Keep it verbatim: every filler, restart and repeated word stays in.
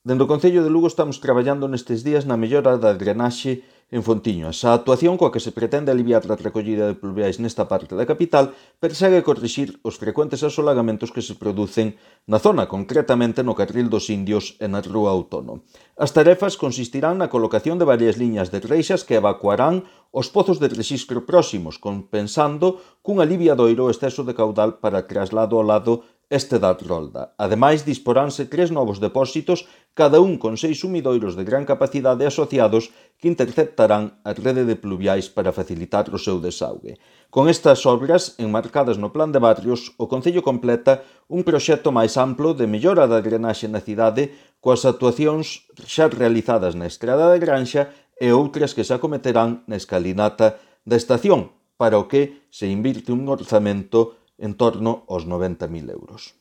Dende o Concello de Lugo estamos traballando nestes días na mellora da drenaxe en Fontiñas. A actuación coa que se pretende aliviar a recollida de pluviais nesta parte da capital persegue corrixir os frecuentes asolagamentos que se producen na zona, concretamente no Carril dos Indios e na Rúa Outono. As tarefas consistirán na colocación de varias liñas de reixas que evacuarán os pozos de rexistro próximos, compensando cun aliviadoiro o exceso de caudal para traslado ao lado este da rolda. Ademais, disporánse tres novos depósitos, cada un con seis sumidoiros de gran capacidade asociados que interceptarán a rede de pluviais para facilitar o seu desaugue. Con estas obras, enmarcadas no Plan de Barrios, o Concello completa un proxecto máis amplo de mellora da drenaxe na cidade coas actuacións xa realizadas na Estrada da Granxa e outras que se acometerán na escalinata da estación, para o que se invirte un orzamento en torno aos noventa mil euros.